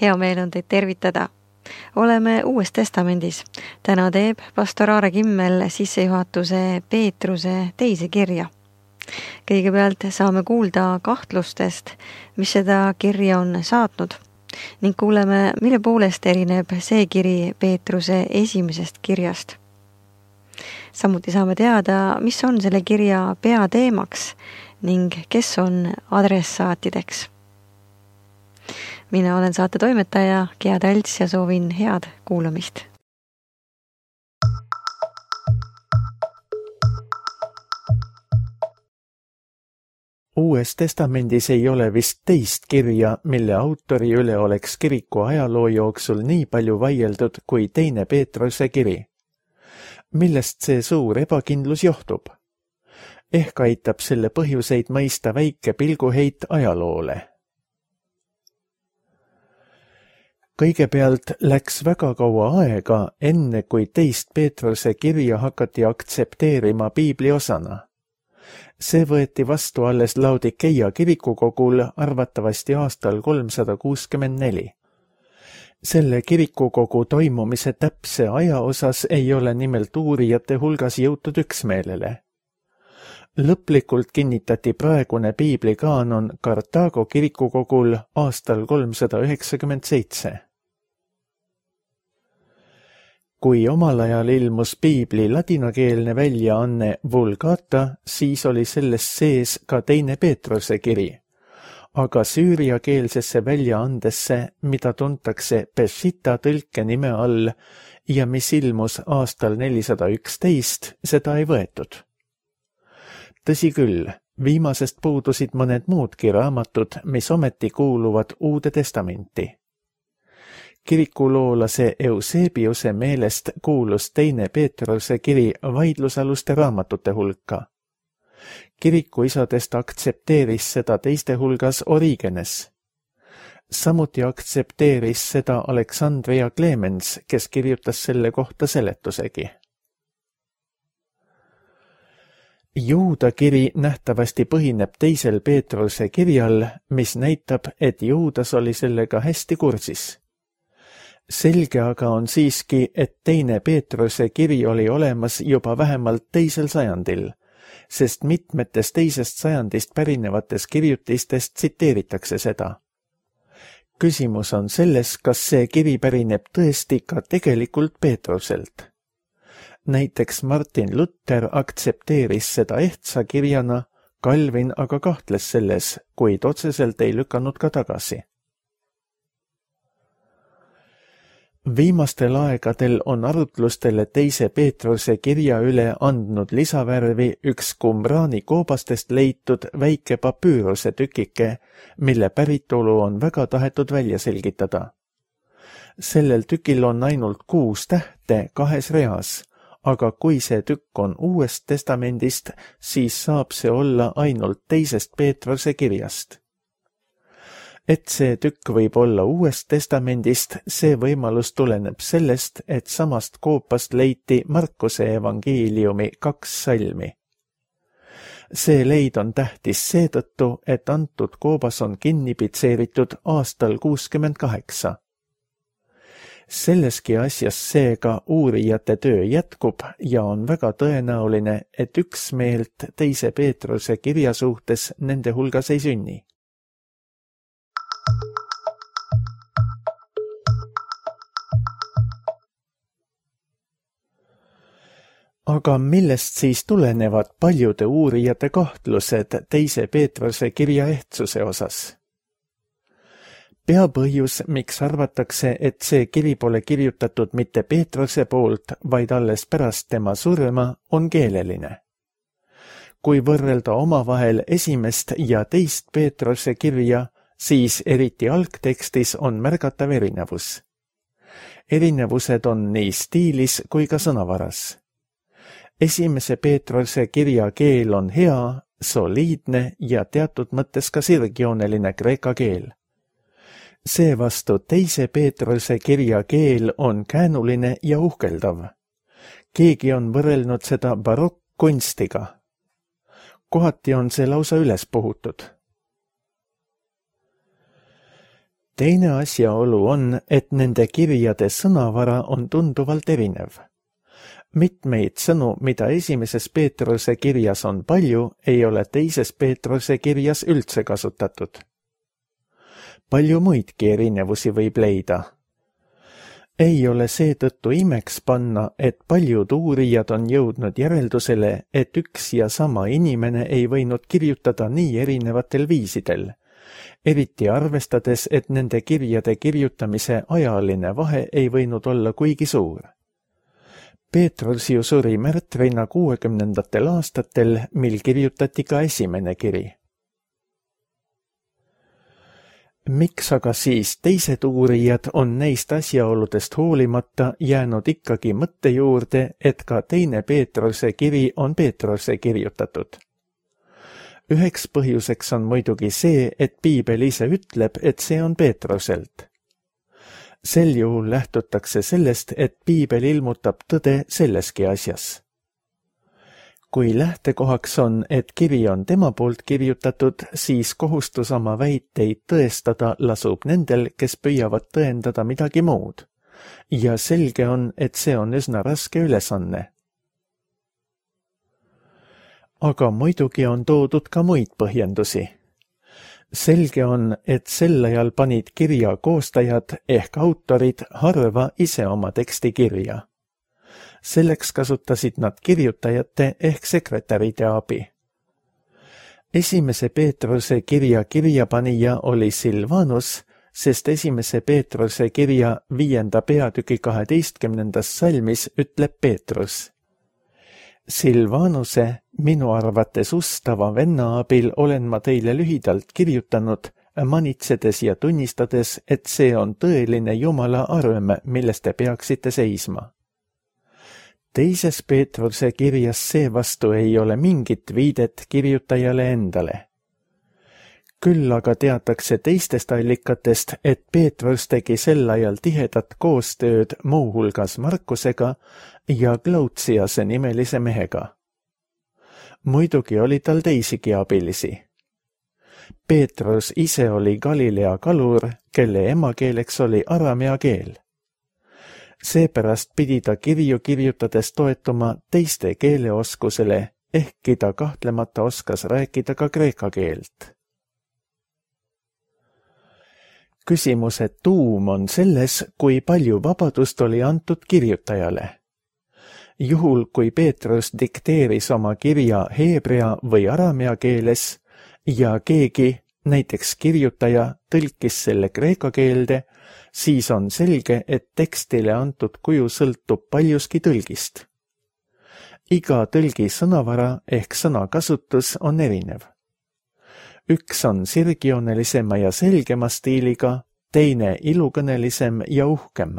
Hea meel on teid tervitada. Oleme Uues Testamendis. Täna teeb pastor Aare Kimmel sissejuhatuse Peetruse teise kirja. Kõigepealt saame kuulda kahtlustest, mis seda kirja on saatnud, ning kuuleme, mille poolest erineb see kiri Peetruse esimesest kirjast. Samuti saame teada, mis on selle kirja peateemaks ning kes on adressaatideks. Mina olen saate toimetaja Gea Talts ja soovin head kuulamist. Uues testamendis ei ole vist teist kirja, mille autori üle oleks kiriku ajaloo jooksul nii palju vaieldud kui teine Peetruse kiri. Millest see suur ebakindlus johtub? Ehk aitab selle põhjuseid mõista väike pilguheit ajaloole. Kõigepealt läks väga kaua aega, enne kui teist Peetruse kirja hakati aktsepteerima piibli osana. See võeti vastu alles Laodikeia kirikukogul arvatavasti aastal 364. Selle kirikukogu toimumise täpse aja osas ei ole nimelt uurijate hulgas jõutud üksmeelele. Lõplikult kinnitati praegune piibli kaanon Kartaago kirikukogul aastal 397. Kui omal ajal ilmus piibli ladinakeelne väljaanne Vulgata, siis oli selles sees ka teine Peetruse kiri, aga süüriakeelsesse väljaandesse, mida tuntakse Peshitta tõlke nime all ja mis ilmus aastal 411, seda ei võetud. Tõsi küll, viimasest puudusid mõned muudki raamatud, mis ometi kuuluvad Uude testamenti. Kirikuloolase Eusebiuse meelest kuulus teine Peetruse kiri vaidlusaluste raamatute hulka. Kirikuisadest aktsepteeris seda teiste hulgas Origenes. Samuti aktsepteeris seda Aleksandria Clemens, kes kirjutas selle kohta seletusegi. Juuda kiri nähtavasti põhineb teisel Peetruse kirjal, mis näitab, et Juudas oli sellega hästi kursis. Selge aga on siiski, et teine Peetruse kiri oli olemas juba vähemalt 2. sajandil, sest mitmetes teisest sajandist pärinevates kirjutistest tsiteeritakse seda. Küsimus on selles, kas see kiri pärineb tõesti ka tegelikult Peetruselt. Näiteks Martin Luther aktsepteeris seda ehtsa kirjana, Calvin aga kahtles selles, kuid otseselt ei lükanud ka tagasi. Viimastel aegadel on arutlustele teise Peetruse kirja üle andnud lisavärvi üks Qumrani koobastest leitud väike papüüruse tükike, mille päritolu on väga tahetud välja selgitada. Sellel tükil on ainult 6 tähte 2 reas, aga kui see tükk on Uuest testamendist, siis saab see olla ainult teisest Peetruse kirjast. Et see tükk võib olla Uuest testamendist, see võimalus tuleneb sellest, et samast koopast leiti Markuse evangeeliumi 2 salmi. See leid on tähtis seetõttu, et antud koobas on kinni pitseeritud aastal 68. Selleski asjas seega uurijate töö jätkub ja on väga tõenäoline, et üksmeelt teise Peetruse kirja suhtes nende hulgas ei sünni. Aga millest siis tulenevad paljude uurijate kahtlused teise Peetruse kirja ehtsuse osas? Peapõhjus, miks arvatakse, et see kiri pole kirjutatud mitte Peetruse poolt, vaid alles pärast tema surma, on keeleline. Kui võrrelda omavahel esimest ja teist Peetruse kirja, siis eriti algtekstis on märgatav erinevus. Erinevused on nii stiilis kui ka sõnavaras. Esimese Peetruse kirja keel on hea, soliidne ja teatud mõttes ka sirgjooneline kreeka keel. Seevastu teise Peetruse kirja keel on käänuline ja uhkeldav. Keegi on võrrelnud seda barokkkunstiga. Kohati on see lausa üles puhutud. Teine asjaolu on, et nende kirjade sõnavara on tunduvalt erinev. Mitmeid sõnu, mida esimeses Peetruse kirjas on palju, ei ole teises Peetruse kirjas üldse kasutatud. Palju muidki erinevusi võib leida. Ei ole seetõttu imeks panna, et paljud uurijad on jõudnud järeldusele, et üks ja sama inimene ei võinud kirjutada nii erinevatel viisidel, eriti arvestades, et nende kirjade kirjutamise ajaline vahe ei võinud olla kuigi suur. Peetrus ju suri märtrina 60. aastatel, mil kirjutati ka esimene kiri. Miks aga siis teised uurijad on neist asjaoludest hoolimata jäänud ikkagi mõtte juurde, et ka teine Peetruse kiri on Peetruse kirjutatud? Üheks põhjuseks on muidugi see, et piibel ise ütleb, et see on Peetruselt. Sel juhul lähtutakse sellest, et piibel ilmutab tõde selleski asjas. Kui lähtekohaks on, et kiri on tema poolt kirjutatud, siis kohustus oma väiteid tõestada lasub nendel, kes püüavad tõendada midagi muud. Ja selge on, et see on üsna raske ülesanne. Aga muidugi on toodud ka muid põhjendusi. Selge on, et sel ajal panid kirja koostajad ehk autorid harva ise oma teksti kirja. Selleks kasutasid nad kirjutajate ehk sekretäride abi. Esimese Peetruse kirja kirjapanija oli Silvanus, sest esimese Peetruse kirja 5. peatüki 12. salmis ütleb Peetrus. Silvanuse, minu arvates ustava venna abil olen ma teile lühidalt kirjutanud, manitsedes ja tunnistades, et see on tõeline Jumala arm, milles te peaksite seisma. Teises Peetruse kirjas seevastu ei ole mingit viidet kirjutajale endale. Küll aga teatakse teistest allikatest, et Peetrus tegi sel ajal tihedat koostööd muuhulgas Markusega ja Glautsiase nimelise mehega. Muidugi oli tal teisigi abilisi. Peetrus ise oli Galilea kalur, kelle emakeeleks oli aramea keel. Seepärast pidi ta kirju kirjutades toetuma teiste keeleoskusele, ehkki ta kahtlemata oskas rääkida ka kreeka keelt. Küsimuse tuum on selles, kui palju vabadust oli antud kirjutajale. Juhul, kui Peetrus dikteeris oma kirja heebrea või aramea keeles ja keegi, näiteks kirjutaja, tõlkis selle kreeka keelde, siis on selge, et tekstile antud kuju sõltub paljuski tõlgist. Iga tõlgi sõnavara ehk sõnakasutus on erinev. Üks on sirgjoonelisema ja selgema stiiliga, teine ilukõnelisem ja uhkem.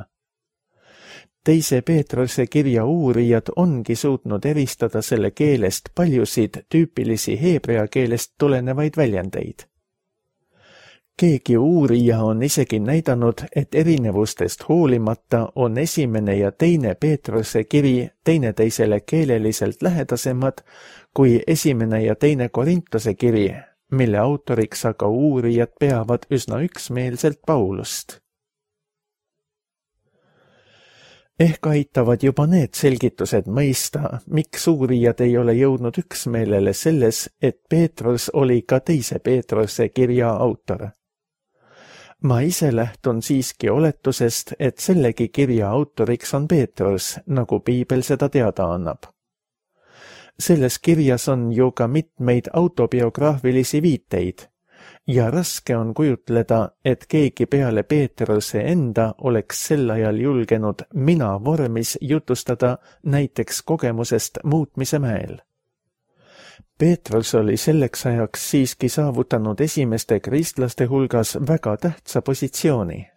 Teise Peetruse kirja uurijad ongi suutnud eristada selle keelest paljusid tüüpilisi heebrea keelest tulenevaid väljendeid. Keegi uurija on isegi näidanud, et erinevustest hoolimata on esimene ja teine Peetruse kiri teineteisele keeleliselt lähedasemad kui esimene ja teine Korintuse kiri, mille autoriks aga uurijad peavad üsna üksmeelselt Paulust. Ehk aitavad juba need selgitused mõista, miks uurijad ei ole jõudnud üksmeelele selles, et Peetrus oli ka teise Peetruse kirja autor. Ma ise lähtun siiski oletusest, et sellegi kirja autoriks on Peetrus, nagu piibel seda teada annab. Selles kirjas on ju ka mitmeid autobiograafilisi viiteid ja raske on kujutleda, et keegi peale Peetruse enda oleks sel ajal julgenud mina vormis jutustada näiteks kogemusest muutmise mäel. Peetrus oli selleks ajaks siiski saavutanud esimeste kristlaste hulgas väga tähtsa positsiooni.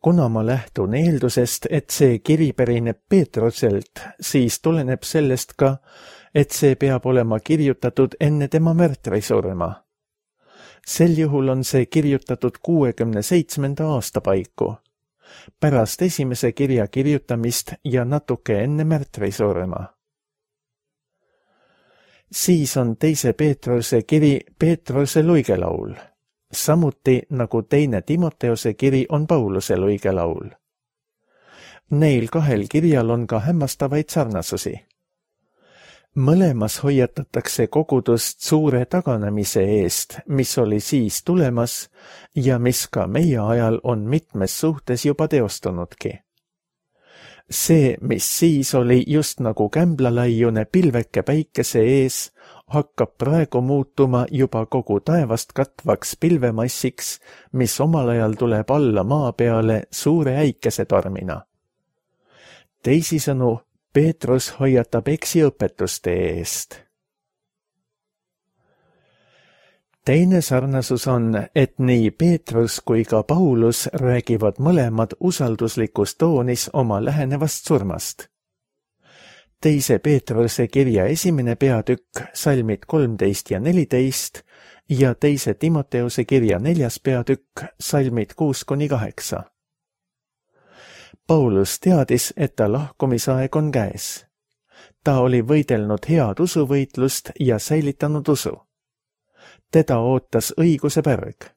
Kuna ma lähtun eeldusest, et see kiri pärineb Peetruselt, siis tuleneb sellest ka, et see peab olema kirjutatud enne tema märtrisurma. Sel juhul on see kirjutatud 67. aasta paiku, pärast esimese kirja kirjutamist ja natuke enne märtrisurma. Siis on teise Peetruse kiri Peetruse luigelaul, samuti nagu teine Timoteuse kiri on Pauluse luigelaul. Neil kahel kirjal on ka hämmastavaid sarnasusi. Mõlemas hoiatatakse kogudust suure taganemise eest, mis oli siis tulemas ja mis ka meie ajal on mitmes suhtes juba teostunudki. See, mis siis oli just nagu kämblalaiune pilveke päikese ees, hakkab praegu muutuma juba kogu taevast katvaks pilvemassiks, mis omal ajal tuleb alla maa peale suure äikesetormina. Teisisõnu, Peetrus hoiatab eksiõpetuste eest. Teine sarnasus on, et nii Peetrus kui ka Paulus räägivad mõlemad usalduslikus toonis oma lähenevast surmast. Teise Peetruse kirja 1. peatükk, salmid 13 ja 14 ja teise Timoteuse kirja 4. peatükk, salmid 6-8. Paulus teadis, et ta lahkumisaeg on käes. Ta oli võidelnud head usuvõitlust ja säilitanud usu. Teda ootas õiguse pärg.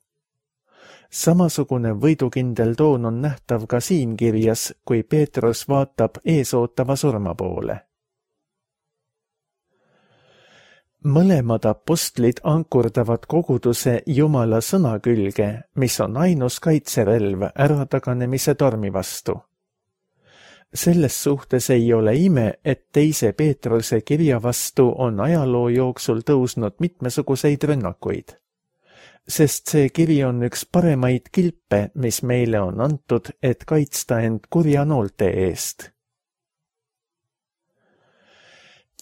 Samasugune võidukindel toon on nähtav ka siin kirjas, kui Peetrus vaatab eesootava surma poole. Mõlemad apostlid ankurdavad koguduse Jumala sõna külge, mis on ainus kaitserelv ärataganemise tormi vastu. Selles suhtes ei ole ime, et teise Peetruse kirja vastu on ajaloo jooksul tõusnud mitmesuguseid rünnakuid. Sest see kiri on üks paremaid kilpe, mis meile on antud, et kaitsta end kurja noolte eest.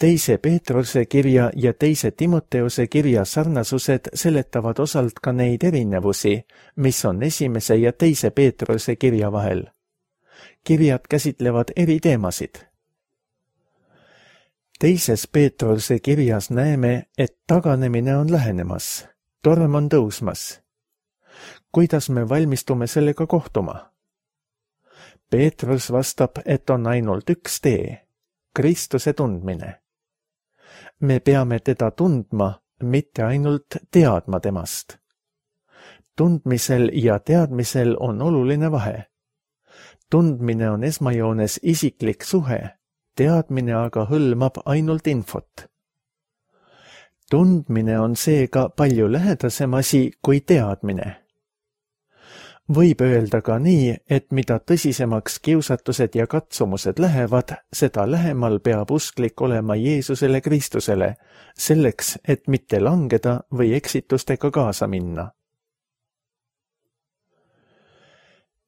Teise Peetruse kirja ja teise Timoteuse kirja sarnasused seletavad osalt ka neid erinevusi, mis on esimese ja teise Peetruse kirja vahel. Kirjad käsitlevad eri teemasid. Teises Peetruse kirjas näeme, et taganemine on lähenemas, torm on tõusmas. Kuidas me valmistume sellega kohtuma? Peetrus vastab, et on ainult üks tee, Kristuse tundmine. Me peame teda tundma, mitte ainult teadma temast. Tundmisel ja teadmisel on oluline vahe. Tundmine on esmajoones isiklik suhe, teadmine aga hõlmab ainult infot. Tundmine on seega palju lähedasem asi kui teadmine. Võib öelda ka nii, et mida tõsisemaks kiusatused ja katsumused lähevad, seda lähemal peab usklik olema Jeesusele Kristusele, selleks, et mitte langeda või eksitustega kaasa minna.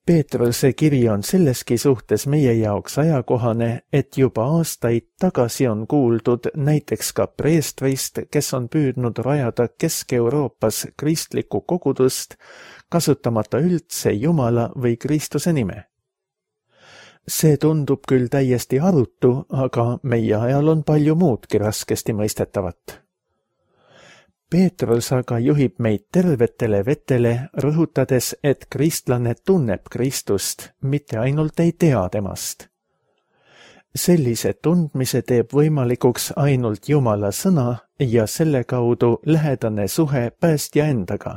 Peetruse kiri on selleski suhtes meie jaoks ajakohane, et juba aastaid tagasi on kuuldud näiteks ka preestrist, kes on püüdnud rajada Kesk-Euroopas kristlikku kogudust, kasutamata üldse Jumala või Kristuse nime. See tundub küll täiesti arutu, aga meie ajal on palju muudki raskesti mõistetavat. Peetrus aga juhib meid tervetele vetele, rõhutades, et kristlane tunneb Kristust, mitte ainult ei tea temast. Sellise tundmise teeb võimalikuks ainult Jumala sõna ja selle kaudu lähedane suhe päästja endaga.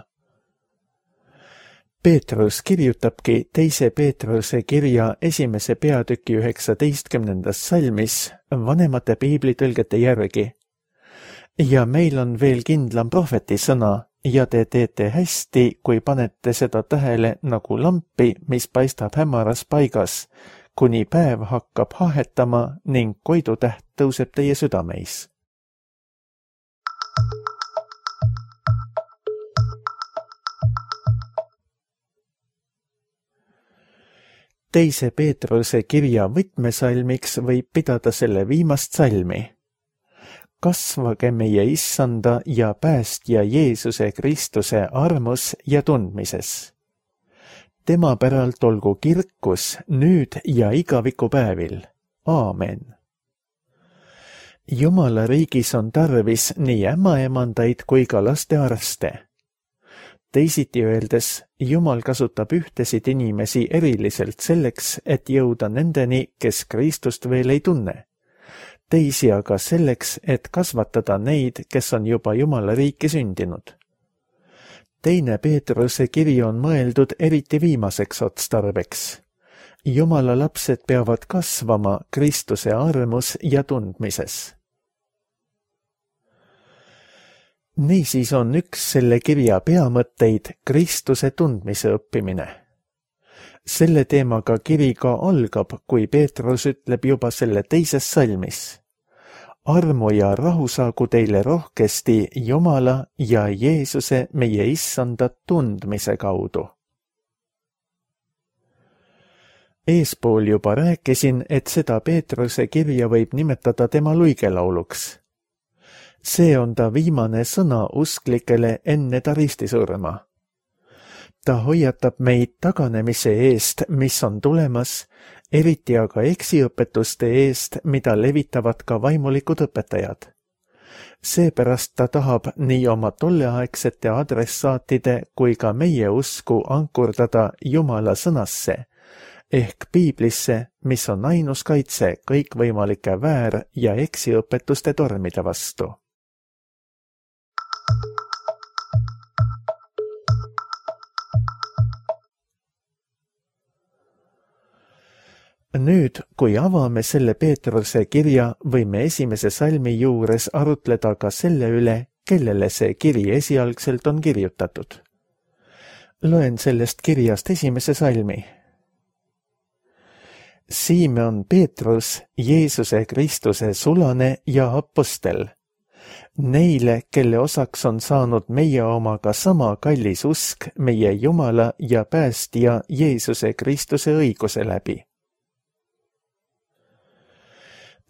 Peetrus kirjutabki teise Peetruse kirja 1. peatüki 19. salmis vanemate piiblitõlgete järgi. Ja meil on veel kindlam prohveti sõna ja te teete hästi, kui panete seda tähele nagu lampi, mis paistab hämaras paigas, kuni päev hakkab hahetama ning koidutäht tõuseb teie südameis. Teise Peetruse kirja võtmesalmiks võib pidada selle viimast salmi. Kasvage meie Issanda ja päästja Jeesuse Kristuse armus ja tundmises. Tema päralt olgu kirkus nüüd ja igavikupäevil. Aamen. Jumala riigis on tarvis nii ämmaemandaid kui ka lastearste. Teisiti öeldes, Jumal kasutab ühtesid inimesi eriliselt selleks, et jõuda nendeni, kes Kristust veel ei tunne. teisi aga selleks, et kasvatada neid, kes on juba Jumala riiki sündinud. Teine Peetruse kiri on mõeldud eriti viimaseks otstarbeks. Jumala lapsed peavad kasvama Kristuse armus ja tundmises. Niisiis on üks selle kirja peamõtteid Kristuse tundmise õppimine. Selle teemaga kiri ka algab, kui Peetrus ütleb juba selle teises salmis. Armu ja rahu saagu teile rohkesti Jumala ja Jeesuse meie issanda tundmise kaudu. Eespool juba rääkisin, et seda Peetruse kirja võib nimetada tema luigelauluks. See on ta viimane sõna usklikele enne ta ristisurma. Ta hoiatab meid taganemise eest, mis on tulemas, eriti aga eksiõpetuste eest, mida levitavad ka vaimulikud õpetajad. Seepärast ta tahab nii oma tolleaegsete adressaatide kui ka meie usku ankurdada Jumala sõnasse, ehk Piiblisse, mis on ainus kaitse kõikvõimalike väär- ja eksiõpetuste tormide vastu. Nüüd, kui avame selle Peetruse kirja, võime esimese salmi juures arutleda ka selle üle, kellele see kiri esialgselt on kirjutatud. Loen sellest kirjast esimese salmi. Simeon Peetrus, Jeesuse Kristuse sulane ja apostel. Neile, kelle osaks on saanud meie omaga sama kallis usk meie Jumala ja päästja Jeesuse Kristuse õiguse läbi.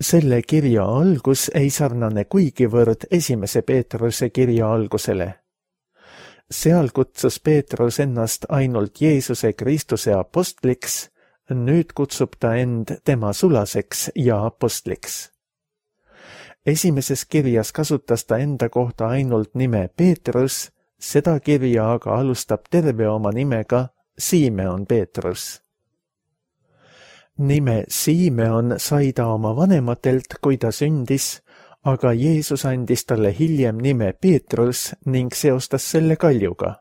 Selle kirja algus ei sarnane kuigivõrd esimese Peetruse kirja algusele. Seal kutsus Peetrus ennast ainult Jeesuse Kristuse apostliks, nüüd kutsub ta end tema sulaseks ja apostliks. Esimeses kirjas kasutas ta enda kohta ainult nime Peetrus, seda kirja aga alustab terve oma nimega Simeon Peetrus. Nime Simeon sai ta oma vanematelt, kui ta sündis, aga Jeesus andis talle hiljem nime Peetrus ning seostas selle kaljuga.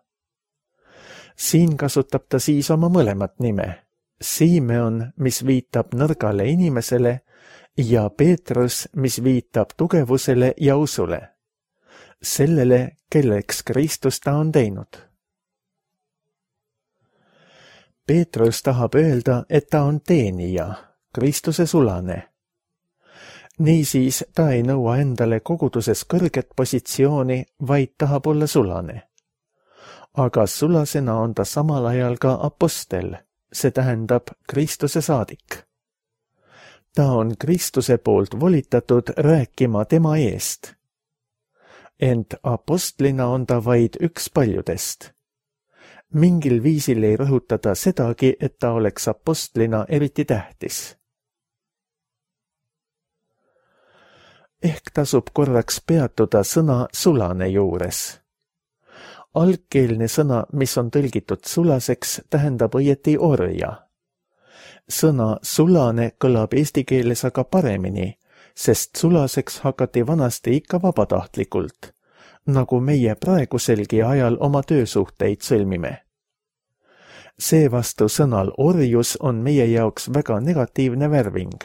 Siin kasutab ta siis oma mõlemat nime, Simeon, mis viitab nõrgale inimesele, ja Peetrus, mis viitab tugevusele ja usule, sellele, kelleks Kristus ta on teinud. Peetrus tahab öelda, et ta on teenija, Kristuse sulane. Niisiis ta ei nõua endale koguduses kõrget positsiooni, vaid tahab olla sulane. Aga sulasena on ta samal ajal ka apostel, see tähendab Kristuse saadik. Ta on Kristuse poolt volitatud rääkima tema eest. Ent apostlina on ta vaid üks paljudest. Mingil viisil ei rõhutada sedagi, et ta oleks apostlina eriti tähtis. Ehk tasub korraks peatuda sõna sulane juures. Algkeelne sõna, mis on tõlgitud sulaseks, tähendab õieti orja. Sõna sulane kõlab eesti keeles aga paremini, sest sulaseks hakati vanasti ikka vabatahtlikult, nagu meie praeguselgi ajal oma töösuhteid sõlmime. Seevastu sõnal orjus on meie jaoks väga negatiivne värving.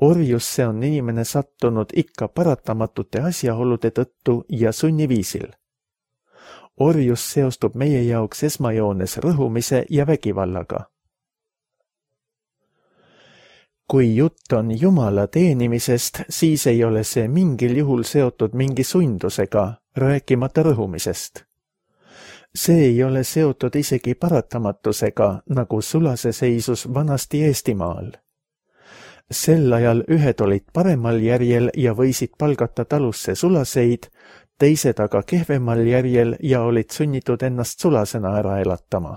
Orjusse on inimene sattunud ikka paratamatute asjaolude tõttu ja sunniviisil. Orjus seostub meie jaoks esmajoones rõhumise ja vägivallaga. Kui jutt on Jumala teenimisest, siis ei ole see mingil juhul seotud mingi sundusega, rääkimata rõhumisest. See ei ole seotud isegi paratamatusega, nagu sulase seisus vanasti Eestimaal. Sel ajal ühed olid paremal järjel ja võisid palgata talusse sulaseid, teised aga kehvemal järjel ja olid sunnitud ennast sulasena ära elatama.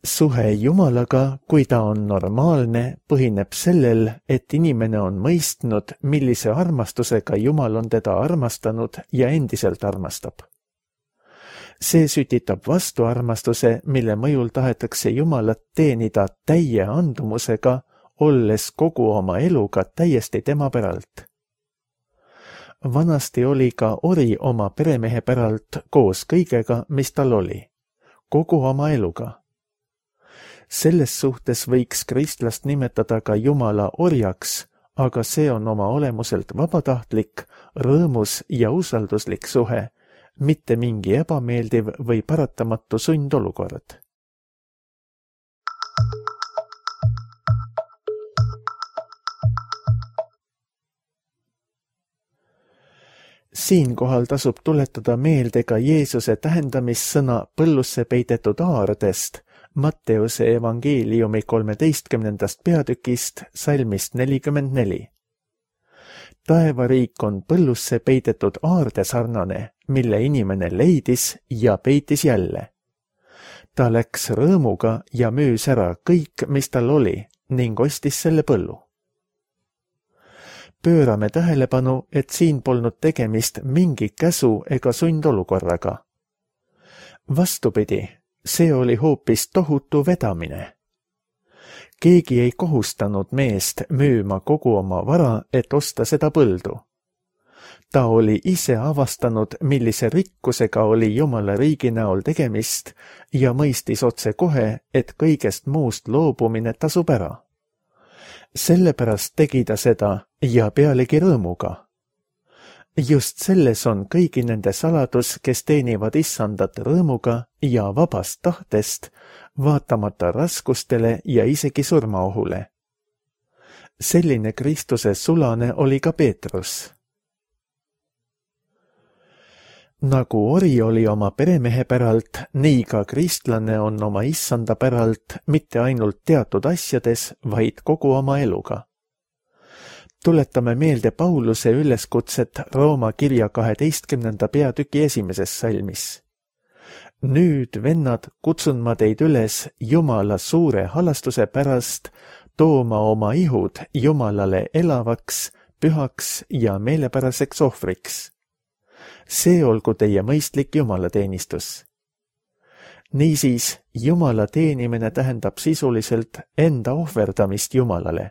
Suhe Jumalaga, kui ta on normaalne, põhineb sellel, et inimene on mõistnud, millise armastusega Jumal on teda armastanud ja endiselt armastab. See sütitab vastuarmastuse, mille mõjul tahetakse Jumalat teenida täie andumusega, olles kogu oma eluga täiesti tema päralt. Vanasti oli ka ori oma peremehe päralt koos kõigega, mis tal oli, kogu oma eluga. Selles suhtes võiks kristlast nimetada ka Jumala orjaks, aga see on oma olemuselt vabatahtlik, rõõmus ja usalduslik suhe, mitte mingi ebameeldiv või paratamatu sundolukord. Siinkohal tasub tuletada meelde ka Jeesuse tähendamissõna põllusse peidetud aardest Matteuse evangeeliumi 13. peatükist salmist 44. Taevariik on põllusse peidetud aarde sarnane, mille inimene leidis ja peitis jälle. Ta läks rõõmuga ja müüs ära kõik, mis tal oli, ning ostis selle põllu. Pöörame tähelepanu, et siin polnud tegemist mingi käsu ega sundolukorraga. Vastupidi, see oli hoopis tohutu vedamine. Keegi ei kohustanud meest müüma kogu oma vara, et osta seda põldu. Ta oli ise avastanud, millise rikkusega oli Jumala riigi näol tegemist ja mõistis otse kohe, et kõigest muust loobumine tasub ära. Sellepärast tegi ta seda ja pealegi rõõmuga. Just selles on kõigi nende saladus, kes teenivad issandat rõõmuga ja vabast tahtest, vaatamata raskustele ja isegi surmaohule. Selline Kristuse sulane oli ka Peetrus. Nagu ori oli oma peremehe päralt, nii ka kristlane on oma issanda päralt mitte ainult teatud asjades, vaid kogu oma eluga. Tuletame meelde Pauluse üleskutset Rooma kirja 12. peatüki 1. salmis. Nüüd, vennad, kutsun ma teid üles Jumala suure halastuse pärast tooma oma ihud Jumalale elavaks, pühaks ja meelepäraseks ohvriks. See olgu teie mõistlik jumalateenistus. Niisiis, Jumala teenimine tähendab sisuliselt enda ohverdamist Jumalale.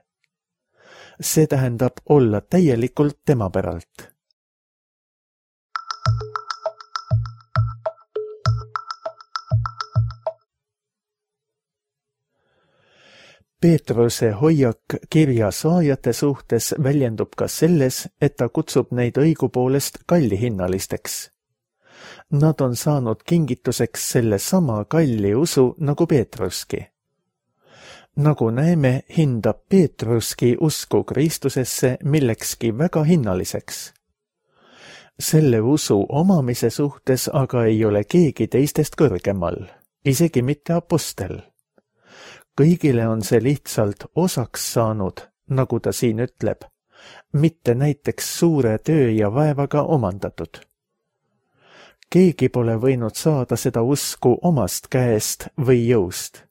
See tähendab olla täielikult tema päralt. Peetruse hoiak kirja saajate suhtes väljendub ka selles, et ta kutsub neid õigupoolest kallihinnalisteks. Nad on saanud kingituseks selle sama kalli usu nagu Peetruski. Nagu näeme, hindab Peetruski usku Kristusesse millekski väga hinnaliseks. Selle usu omamise suhtes aga ei ole keegi teistest kõrgemal, isegi mitte apostel. Kõigile on see lihtsalt osaks saanud, nagu ta siin ütleb, mitte näiteks suure töö ja vaevaga omandatud. Keegi pole võinud saada seda usku omast käest või jõust.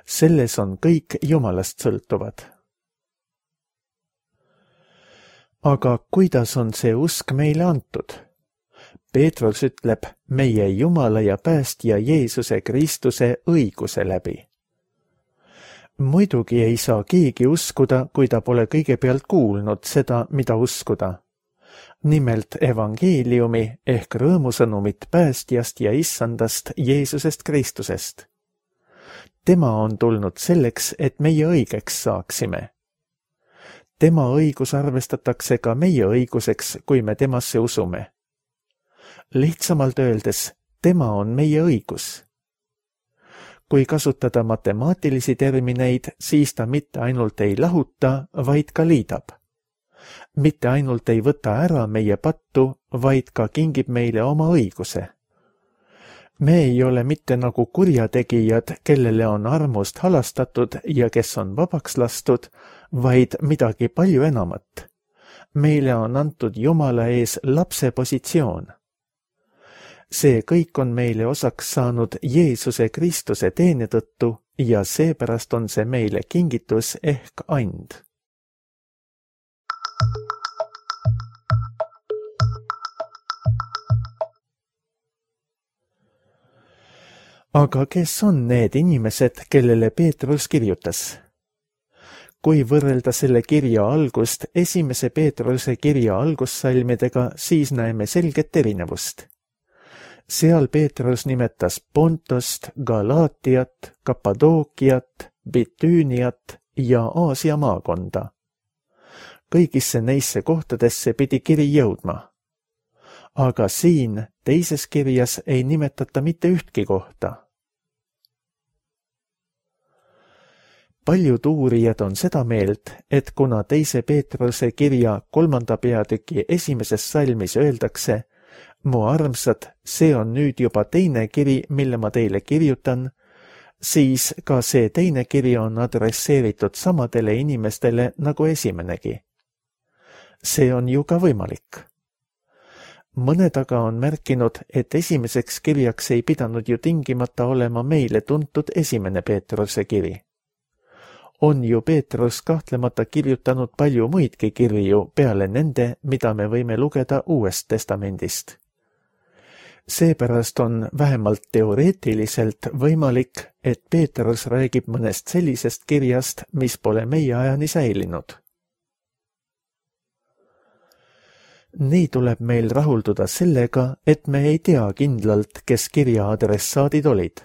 Selles on kõik Jumalast sõltuvad. Aga kuidas on see usk meile antud? Peetrus ütleb meie Jumala ja päästja Jeesuse Kristuse õiguse läbi. Muidugi ei saa keegi uskuda, kui ta pole kõigepealt kuulnud seda, mida uskuda. Nimelt evangeeliumi ehk rõõmusõnumit päästjast ja issandast Jeesusest Kristusest. Tema on tulnud selleks, et meie õigeks saaksime. Tema õigus arvestatakse ka meie õiguseks, kui me temasse usume. Lihtsamalt öeldes, tema on meie õigus. Kui kasutada matemaatilisi termineid, siis ta mitte ainult ei lahuta, vaid ka liidab. Mitte ainult ei võta ära meie pattu, vaid ka kingib meile oma õiguse. Me ei ole mitte nagu kurjategijad, kellele on armust halastatud ja kes on vabaks lastud, vaid midagi palju enamat. Meile on antud Jumala ees lapse positsioon. See kõik on meile osaks saanud Jeesuse Kristuse teene tõttu ja seepärast on see meile kingitus ehk and. Aga kes on need inimesed, kellele Peetrus kirjutas? Kui võrrelda selle kirja algust esimese Peetruse kirja algussalmidega, siis näeme selget erinevust. Seal Peetrus nimetas Pontost, Galaatiat, Kappadookiat, Bitüüniat ja Aasia maakonda. Kõigisse neisse kohtadesse pidi kiri jõudma. Aga siin teises kirjas ei nimetata mitte ühtki kohta. Paljud uurijad on seda meelt, et kuna teise Peetruse kirja 3. peatüki esimeses salmis öeldakse: mu armsad, see on nüüd juba teine kiri, mille ma teile kirjutan, siis ka see teine kiri on adresseeritud samadele inimestele nagu esimenegi. See on ju ka võimalik. Mõned aga on märkinud, et esimeseks kirjaks ei pidanud ju tingimata olema meile tuntud esimene Peetruse kiri. On ju Peetrus kahtlemata kirjutanud palju muidki kirju peale nende, mida me võime lugeda Uuest Testamendist. Seepärast on vähemalt teoreetiliselt võimalik, et Peetrus räägib mõnest sellisest kirjast, mis pole meie ajani säilinud. Nii tuleb meil rahulduda sellega, et me ei tea kindlalt, kes kirja adressaadid olid.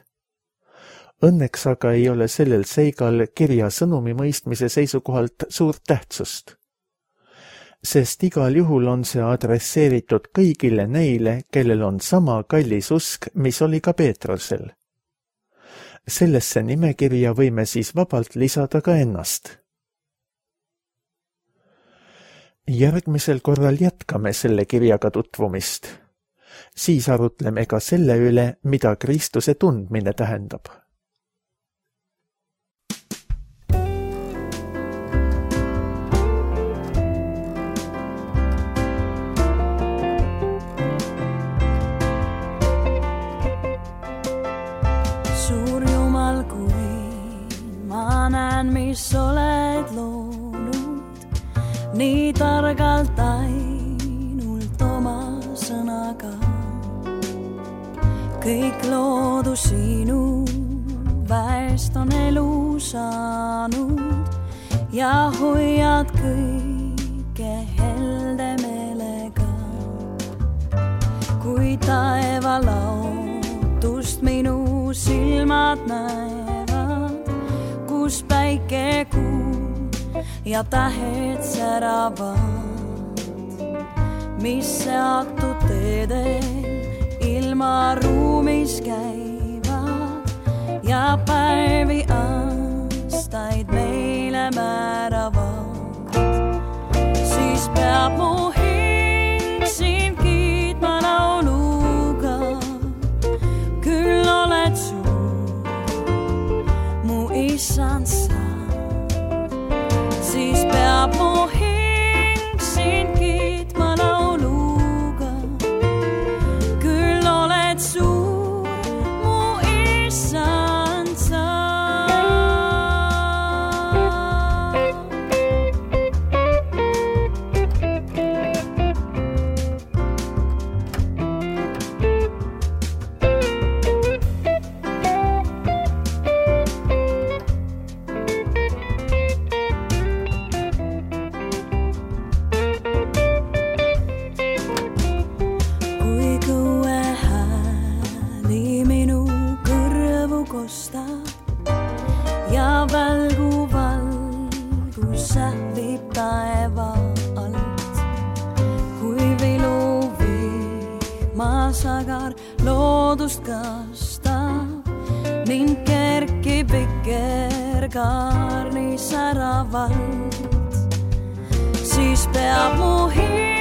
Õnneks aga ei ole sellel seigal kirja sõnumi mõistmise seisukohalt suurt tähtsust. Sest igal juhul on see adresseeritud kõigile neile, kellel on sama kallis usk, mis oli ka Peetrusel. Sellesse nimekirja võime siis vabalt lisada ka ennast. Järgmisel korral jätkame selle kirjaga tutvumist. Siis arutleme ka selle üle, mida Kristuse tundmine tähendab. Suur Jumal, kui ma näen, mis oled loonud, nii targalt ainult oma sõnaga. Kõik loodu sinu väest on elu saanud ja hoiad kõike helde meelega. Kui taeva laotust minu silmad näevad, kus päike, kuu ja tähed säravad, mis seatud teedel ilma ruumis käivad ja päevi aastaid meile määravad, siis peab mu hing sind kiitma lauluga. Küll oled suur, mu issand sa, siis peab mu hing sind kiitma lauluga. Küll oled suur, mu issand sa. Ja välgu valgus sähvib taeva alt, kui vilu vihmasagar loodust kastab, mind kerkib vikerkaarni säravalt, siis peab mu hing